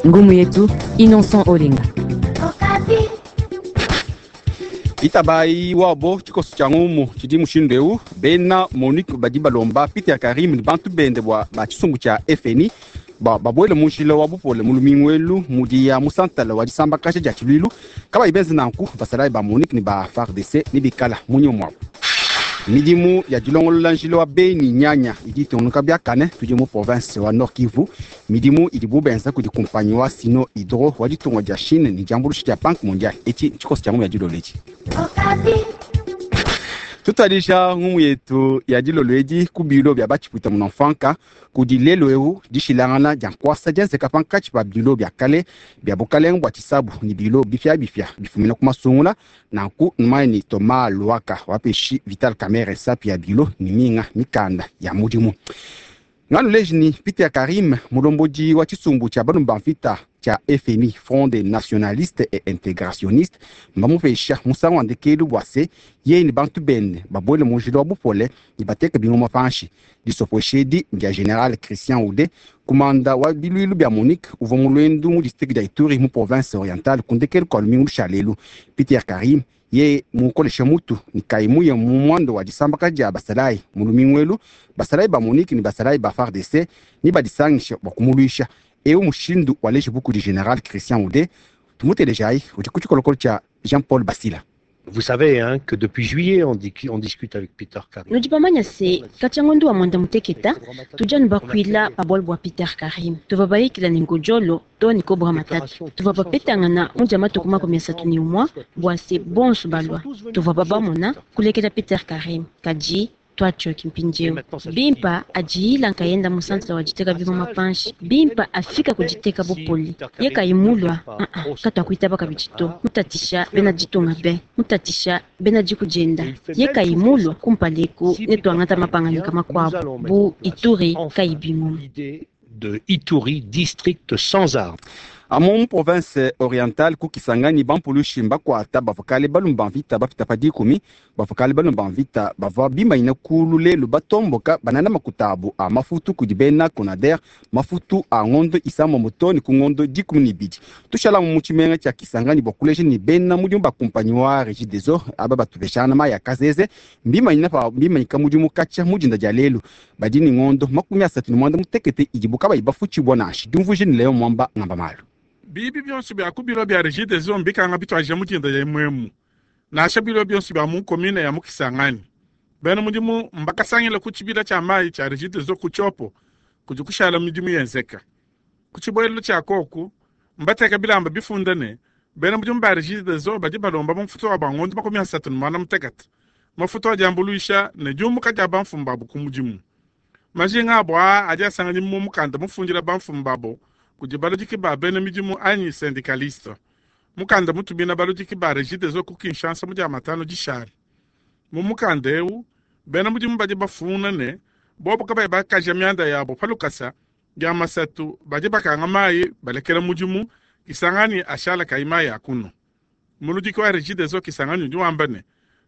Ngumu yetu Innocent Olenga. Itabayi wabo tshikoso tshia ngumu tshidi mushindu eu: bena MONUC badi balomba Peter Karim ne bantu bende bua ba tshisumbu tshia FNI babuele mu njila wa bupole mu lumingu elu mudi ya mu santala wa disambakaja dia tshiluilu. Kabayi benze nanku, basalayi ba MONUC ne ba FARDC ne bikala munyima muabu. Midimu ya dilongolola njila wa Beni Nyanya idi itungunuka biakane. Tudi mu province wa Nord Kivu. Midimu idibu benza kudi kumpanyi wa Sino Hydro wa ditunga dia Chine ne diambuluisha dia Banque mondiale. Etshi tshikoso tshia ngumu ya dilolo etshi. Tutuadija ngumu yetu ya dilolo edi ku bilo bia batshipuita munamfanka. Kudi lelo eu dishilangana dia nkuasa dienzeka pankatshi pa bilo bia kale bia bukalenga bua tshisabu ne bilo bifiabifia bifumina ku masungula. Nanku numanye ni Thomas Luhaka wapeshi Vital Kamerhe sapi ya bilo ne minga mikanda ya mudimu. Nganuleji ni Peter Karim, mulombodi wa tshisumbu tshia balume ba mvita tshia FNI, Front des nationalistes et intégrationnistes, mbamupesha musangu wa ndekelu bua se yeye ne bantu bende babuele mu njila wa bupole ne bateke bingoma panshi. Disopwesha edi ndia General Christian Ude, kumanda wa biluilu bia MONUC, uvua mu luendu mu district dia Ituri mu province orientale ku ndekelu kua lumingu lushalelu. Peter Karim ye mukolesha mutu ni kayi muye mu mwando wa disambaka dia basalayi mu lumingu elu, basalayi ba MONUC ne basalayi ba FARDC ni badisangisha bua kumuluisha. Eu mushindu waleji buku di General Christian Ude. Tumutelejayi, udi ku tshikolokolo tshia Jean-Paul Basila. Vous savez, hein, que depuis juillet, on discute avec Peter Karim. Nudi bamanya se katshia ngondu wa mwanda muteketa tudi bakuila pa bualu bua Peter Karim. Tuvua bayikila ne ngojolo to ne kobra matatu. Tuvua bapetangana mu dia matuku 31 bua se bonso balua. Tuvua babamona kulekela Peter Karim, kadi twatshioki mpindieu bimpa adiyila nkayenda mu santre wa diteka bingoma panshi. Bimpa afika kuditeka bupoli ye kayi mulua uh-uh, katuakuitaba kabidi to. Mutatisha bena ditunga be mutatisha bena diku dienda ye kayi mulua kumpaleku ne tuangata mapanganika makuabu bu Ituri kayi bingoma. L'idée de Ituri, district sans armes. Amu mu province orientale ku Kisangani, bampulushi mbakuata bavua balume ba mvita bapita pa 10. Bavua balume ba mvita bavua bimanyina kulu lelu batomboka banana makuta abu a mafutu kudi bena Conader, mafutu a ngondo 6 to ne ku ngondo 12. Tushalamu mu tshimenga tshia Kisangani bua kuleja ni bena mudimu ba kumpanyi wa Regideso aba batupeshana mayi ya kazeze mbimanyina pa mbimanyika mudimu katshia mu dinda dia lelu. Badi ni ngondo 38 idibu kabayi bafutshibua nansha. Diumvuije ni Leo Mwamba ngamba malu. Bibi bionso bia ku biro bia Regideso mbikanga bitwaje mu dinda ya mwemu, nansha biro bionso bia mu commune ya mu Kisangani. Bena mudimu mbakasangila ku tshibila tshia mayi tshia Regideso ku Tshopo kudi kushala midimu yenzeka. Ku tshibuelelo tshia koku mbateka bilamba bifunda ne bena mudimu ba Regideso badi balomba mafutu wa bangondo 38, mafutu adi ambuluisha ne diumuka dia bamfumu babu ku mudimu. Majinga abo aa adi asanganya mu mukanda mufundila bamfumu babo kudi baludiki ba bena midimu anyi syndicaliste, mukanda mutumina baludiki ba Regideso ku Kinshasa mu dia matano dishale. Mu mukanda eu bena mudimu badi bafuna ne bobo kabayi bakaja mianda yabo pa lukasa, dia masatu badi bakanga mayi balekela mudimu, Kisangani ashala kayi mayi akuno. Muludiki wa Regideso Kisangani udi wamba ne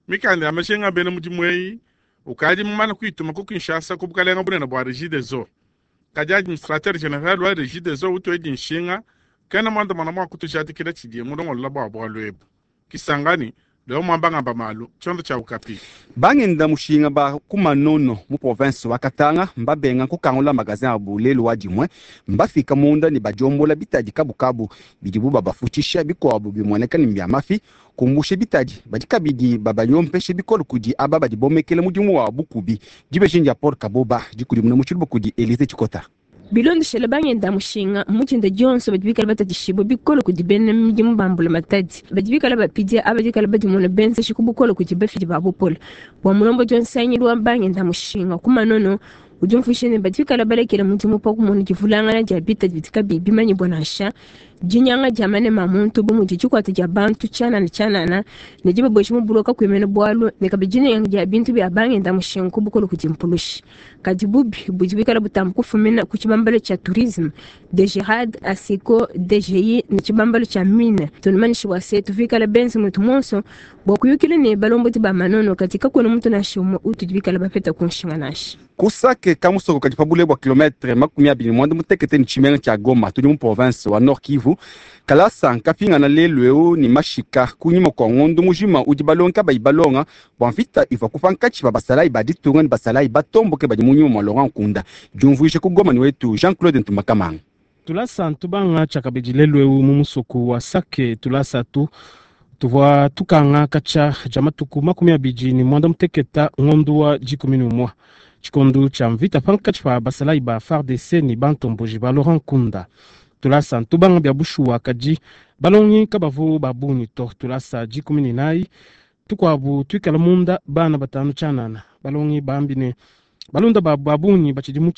mikanda ya majinga bena mudimu eyi ukadi mumane kuituma ku Kinshasa ku bukalenga bunene bua Regideso, kadi administrateur general wa Regideso utuedi nshinga kena mwandamana mwa kutujadikila tshidiye mulongolola bua bualu ebu. Kisangani, Leo Mwamba ngamba malu, tshiondo tshia Okapi. Bangenda mushinga ba ku Manono mu province wa Katanga mbabenga kukangula magasin abu lelu wa dimue. Mbafika munda ne badiombola bitadi kabukabu bidibu babafutshisha, bikuabu bimueneka ne mbia mafi. Kumbushe bitadi, badi kabidi babanyompeshe bikole kudi aba badi bomekela mudimu wa bukubi. Dibeji dia Paul Kaboba, dikudimuna mu tshiluba kudi Elise Tshikota. Bilondeshele bangenda mushinga, mu dinda dionso badi bikala batatshishibua bikole kudi bena midimu ba mbulamatadi badi bikala bapidia aba dikala badimona benzeshi ku bukole kudi bafidi ba bupole. Bua mulombodi wa nsangilu wa bangenda mushinga ku Manono, udi umvuija ne badi bikala balekela mudimu pa kumona divulangana dia bitadi bidi kabiyi bimanyibua nansha. Dinyanga dia manema a muntu bu mudi dikuata dia bantu tshianana tshianana ne dibabuesha mu buloko kakuyi bualu, ne kabidi dinyenga dia bintu bia bangenda mushinga ku bukole kudi mpulushi. Kadi bubi budi buikala butamba kufumina ku tshibambalu tshia tourisme, DGRAD, ASECO, DGI ne tshibambalu tshia mine. Tunumanyishe bua se tuvikala benze mutu muonso bua kuyukila ne balombodi ba manono, kadi kakuena muntu nansha umue utudi bikala bapeta ku nshinga nansha. Ku Sake kamusoko kadi pa bule bua kilometre 28 ne tshimenga tshia Goma, tudi mu province wa Nord Kivu. Kalasa nkapingana lelu eu ne mashika kunyima kua ngondo mujima udi balongi kabayi balonga bua mvita ivua ku pankatshi pa basalayi ba ditunga ne basalayi batomboke badi mu nyuma mua Laurent Nkunda. Diumvuija ku Goma ne wetu Jean-Claude Ntumbakamanga. Tulasa ntubanga tshiakabidi lelu eu mu musoko wa Sake. Tulasa tu tuvua tukanga katshia dia matuku 28 ngondo wa 11, tshikondo tshia mvita pankatshi pa basalayi ba FARDC ne bantomboji ba Laurent Nkunda. Tulasa ntubanga bia bushuwa, kadi balongi kabavu ba bungi to. Tulasa 14 tukuabu tuikala munda bana 5 tshianana. Balongi bambi ne balunda babu ba bungi batshidi mu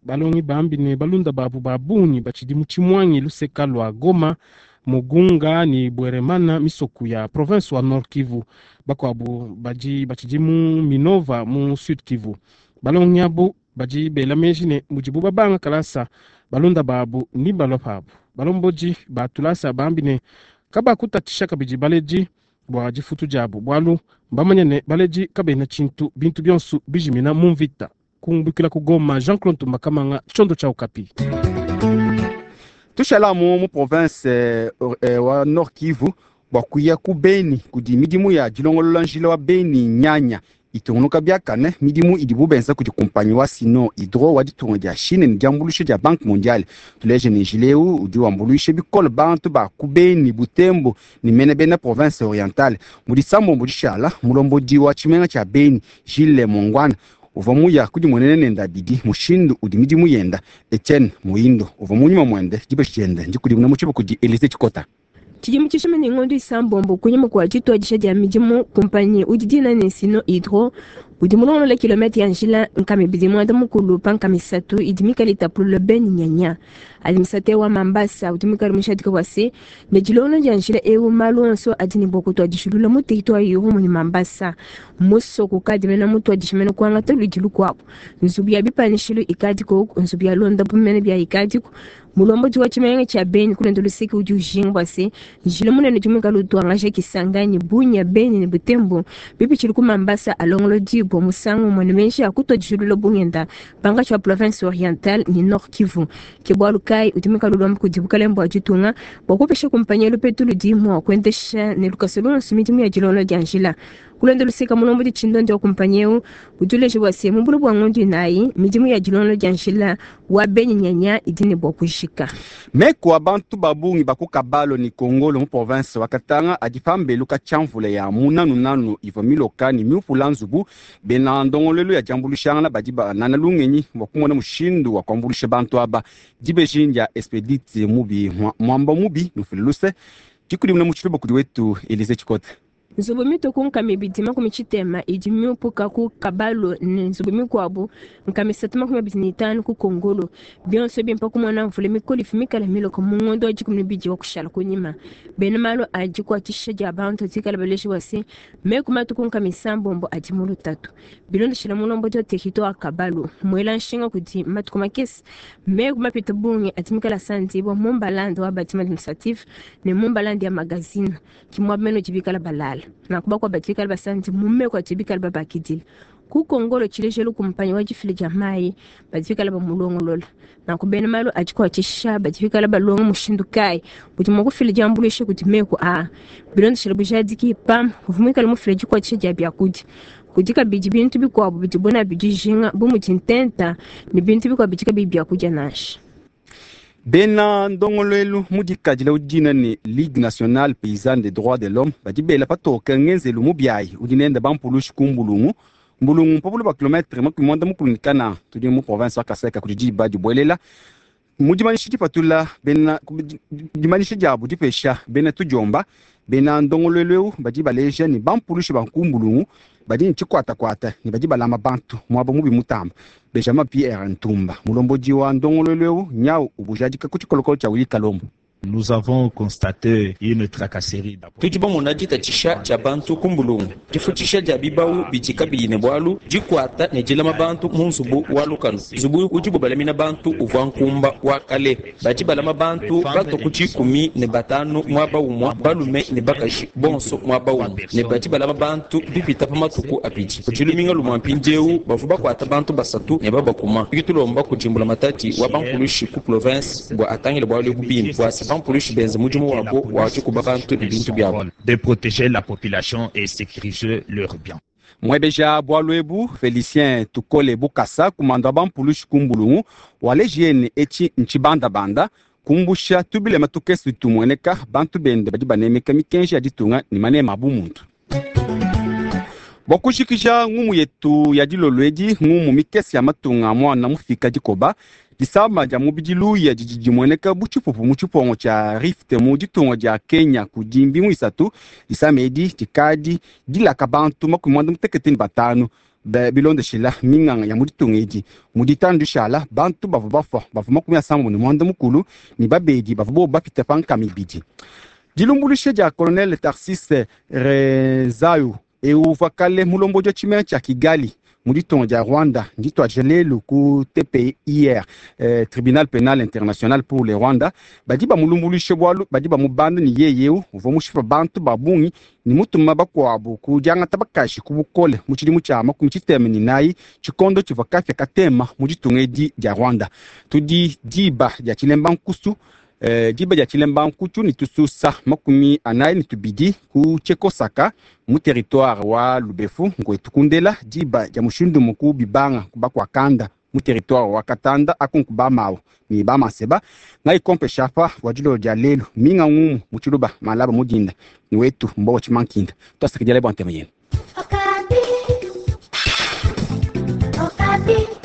balongi bambi ne balunda babu ba bungi batshidi mu Tshimwangi luseka lua Goma, Mugunga ne Bweremana, misoku ya province wa Nord Kivu. Bakuabu badi batshidi mu Minova mu Sud Kivu. Balongi abo badi bela meji ne mudibu babanga kalasa balunda babu ni balua pabu. Balombodi ba tulasa bambi ne kabakutatisha kabidi baledi bua difutu diabu, bualu mbamanya ne baledi kabena tshintu, bintu bionso bijimina mu mvita. Kumbukila ku Goma, Jean-Claude Tumbakamanga, tshiondo tshia Okapi. Tushalamu mu province wa Nord Kivu bua kuya ku Beni kudi midimu ya dilongolola njila wa Beni Nyanya itungunuka biakane. Midimu idibu benza kudi kumpanyi wa Sino Hydro wa ditunga dia Chine ne diambuluisha dia Banque Mondiale. Tuleje ne njila eu udi wambuluisha bikole bantu ba ku Beni, Butembo ne mene bena province orientale. Mu disambombo dishala mulombodi wa tshimenga tshia Beni Gilles Mongwana uvua muya kudimuenena nende abidi mushindu udi midimu yenda. Etienne Muindo uvua munyuma muende dibeji diende ndikudimuna mu tshibo kudi Elise Tshikota. Tshidimu tshishima ne ngondo 6 kunyima kua dituadija dia midimu, kumpanyi udi dina ne Sino Hydro udi mulongolola kilomètre ya njila 293 pa 3 idi mikale itapulula Beni Nyanya. Administrateur wa Mambasa udi mikale mushadika bua se ne dilongolola dia njila eu malu onso adi ne bua kutuadishilula mu territoire Irumu ne Mambasa. Musoko kadi mena mutuadisha mena kuangata ludi lukuabu. Nzubu ya bipanishilu ikadiko, nzubu ya londa mene bia ikadiko. Mulombodi wa tshimenga tshia Beni kulenda luseke udi ujinga bua se njila munene udi muikale utuangaja Kisangani, Bunia, Beni ne Butembo bipitshile ku Mambasa alongolodi bua musangu umue ne menji a kutuadishilula bungenda pankatshi wa province orientale ne Nord Kivu. Ke bualu kayi udi muikale ulomba kudi bukalenge bua ditunga bua kupesha kumpanyi lupetu ludi mua kuendesha ne lukasa luonso midimu ya dilongolola dia njila. Kulonda luseka mulombodi tshindondi wa kumpanyi eu udi uleja bua se mu bule bua ngondo 4 midimu ya dilongolola dia njila wa Beni Nyanya idi ne bua kujika. Meku a bantu ba bungi ba ku Kabalo ne Kongolo mu province wa Katanga adi pambelu ka tshiamvula ya munanunanu ivua miloka ne miupula nzubu. Bena ndongoluelu ya diambuluishangana badi banana lungenyi bua kumona mushindu wa kuambuluisha bantu aba. Dibeji dia Expedite Mubi Mwamba Mubi nufile luse dikudimuna mu tshiluba kudi wetu Elise Tshikota. Nzubu mituku 260 idi miupuka ku Kabalo ne nzubu mikuabu 325 ku Kongolo. Bionso bimpa kumona mvula mikole ifu mikale miloko mu ngondo wa 12 wa kushala kunyima. Bena malu adi kuatisha dia bantu dikala baleji bua se meku matuku 70 adi mu lutatu. Bilondeshela mulombodi wa territoire wa Kabalo muela nshinga kudi matuku makese meku mapita bungi adi mikale asandibwa mu mbalanda wa bâtiment administratif ne mu mbalanda ya magazine kimwa beno dibikala balala. Nakuba kwa batikala basanzi mume kwa tibikala babakidile ku Kongolo tshilejelu kumpanyi wa difila dia mayi batikala bamulongolola nakubena malu adikuatshisha batikala balonga mushindu kayi budi mua kufila diambuluisha kudi meku a bilondeshela bujadiki pam uvua muikale mufila dikuatshisha dia biakudia kudi kabidi bintu bikuabu bidibo nabi dijinga bu mudi ntenta ne bintu bikuabu bidi kabiyi biakudia nansha. Bena ndongoluelu mudikadila udina ne Ligue nationale paysanne des droits de l'homme badi bela patoke ngenzelu mubiayi udi nende bampulushi ku Mbulungu. Mbulungu mpopolo ba kilometre 94 tudi mu province wa Kasai kudi diba dibuelela. Mu dimanyisha dipatula bena dimanyisha diabu dipesha bena tudiomba bena ndongoluelu eu badi baleja ne bampulushi ba ku Mbulungu Badi ne tshikwatakwata ne badi balama bantu muaba mubi mutamba. Benjamin Pierre Ntumba, mulombodi wa ndongoluelu eu, nyawu ubujadika ku tshikolokolo tshia Willy Kalombo. Nous avons constaté une tracasserie d'abord. Tudi bamona ditatshisha dia bantu ku mbulungu, difutshisha dia bibawu bidi kabiyi ne bualu, dikuata ne dilama bantu mu nzubu wa lukanu. Nzubu udibu balamina bantu uvua nkumba wa kale. Badi balama bantu batua ku 15 muaba umue, balume ne bakaji bonso muaba umue, ne badi balama bantu bipita pa matuku abidi. Kudi luminga lumue mpindieu bavua bakuata bantu basatu ne babakuma. Tudi tulomba kudi mbulamatadi wa bampulushi ku province bua atangile bualu ebu bimpe, bua se bampulushi benze mudimu wabo wa dikuba bantu ne bintu biabo. De protéger la population et sécuriser leurs biens. Muebeja bualu ebu Felicien Tukole Bukasa, kumanda wa bampulushi ku mbulungu, waleji yene etshi ntshibandabanda kumbusha tubilema tukese tumueneka bantu bende badi banemeka mikenji ya ditunga ne manema a bumuntu. Bua kujikija ngumu yetu ya dilolo edi, ngumu mikese ya matunga a muana mufika dikoba, disama dia mubidi luya didi dimueneka bu tshipupu mu tshipongo tshia Rift mu ditunga dia Kenya kudi mbingu isatu. Disama edi dikadi dilaka bantu 95 bilondeshila minganga ya mu ditunga edi. Mu ditanu dishala bantu bavua bafua bavua 76 ne babedi bavua bobu bapita pa 200. Dilumbuluisha dia Colonel Tarcisse Rezayo eu uvua kale mulombodi wa tshimenga tshia Kigali mu ditunga dia Rwanda ndituadija lelu ku TPIR, Tribunal Penal International pour le Rwanda. Badi bamulumbuluishe bualu badi bamubanda ne yeye eu uvua mushipa bantu ba bungi ne mutuma bakuabu ku diangata bakaji ku bukole mu tshidimu tshia 64 tshikondo tshivua kapia katema mu ditunga edi dia Rwanda. Tudi diba dia tshilemba nkusu, diba dia tshilemba nkutu ne tususa 42 ku Tshekosaka mu territoire wa Lubefu ngwetu kundela diba dia mushindu muku bibanga kubakwakanda mu territoire wa Katanda akunku ba mawu ne ba maseba ngai kompe shapa wa dilolo dia lelu minga ngumu mu tshiluba malaba mudinda ni wetu mbowa tshimankinda twasakidila bua ntema yenu. Okapi. Okapi.